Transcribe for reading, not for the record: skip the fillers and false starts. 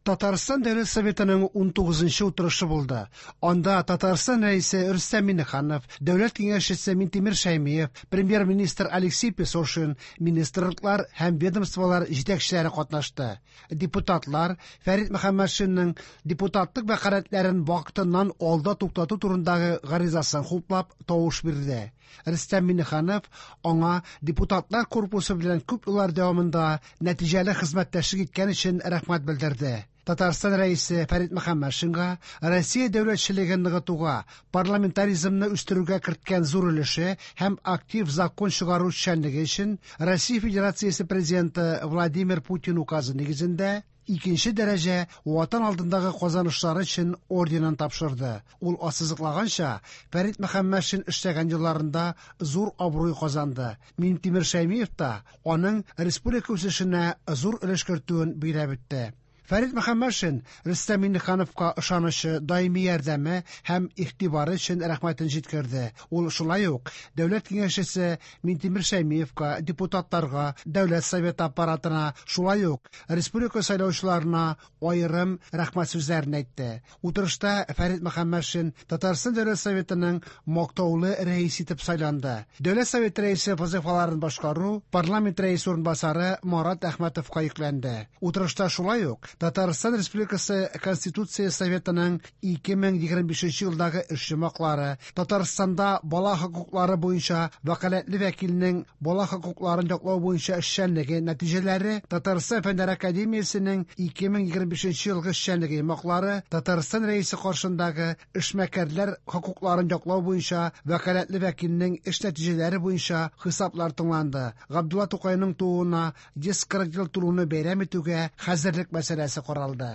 Татарстан Дәүләт Советының 19нчы утырышы булды. Анда Татарстан Рәисе Рөстәм Миңнеханов, Дәүләт Киңәшчесе Минтимер Шәймиев, Премьер-министр Алексей Песошин, министрлыклар һәм ведомстволар җитәкчеләре катнашты. Депутатлар Фәрит Мөхәммәтшинның депутатлык вәкаләтләрен вакытыннан алда туктату турындагы гаризасын хуплап тавыш бирде. Рөстәм Миңнеханов аңа депутатлар корпусы белән күп еллар дәвамында нәтиҗәле хезмәттәшлек иткән өчен рәхмәт белдерде. Татарстан Рәисе Фәрит Мөхәммәтшинга Россия дәүләтчелеген ныгытуга, парламентаризмны үстерүгә керткән зур өлеше һәм актив закон чыгару эшчәнлеге өчен Россия Федерациясе Президенты Владимир Путин указы нигезендә икенче дәрәҗә Ватан алдындагы казанышлары өчен орденын тапшырды. Ул ассызыклаганча, Фәрит Мөхәммәтшин эшләгән елларында зур абруй казанды. Минтимер Шәймиев та аның республика үсешенә зур өлеш кертүен билгеләп үтте. Фәрит Мөхәммәтшин Рөстәм Миңнехановка ышанычы, даими ярдәме һәм игътибары өчен рәхмәтен җиткерде. Ул шулай ук Дәүләт Киңәшчесе Минтимер Шәймиевка, депутатларга, Дәүләт Советы аппаратына, шулай ук республика сайлаучыларына аерым рәхмәт сүзләрен әйтте. Утырышта Фәрит Мөхәммәтшин Татарстан Дәүләт Советының мактаулы рәисе итеп сайланды. Дәүләт Советы рәисе вазыйфаларын башкару парламент рәисе урынбасары Марат Әхмәтовка йөкләнде. Утырышта шулай ук Татарстан Республикасы Конституция Советының 2025 елдагы эш йомгаклары, Татарстанда бала хокуклары буенча вәкаләтле вәкилнең бала хокукларын яклау буенча эшчәнлеге нәтиҗәләре, Татарстан Фәннәр академиясенең 2025 елгы эшчәнлеге йомгаклары, Татарстан Рәисе каршындагы эшмәкәрләр хокукларын яклау буенча вәкаләтле вәкилнең эш нәтиҗәләре буенча хисаплар тыңланды. Габдулла Тукайның тууына 140 ел тулуны бәйрәм итүгә хәзерлек мәсьәләсе каралды.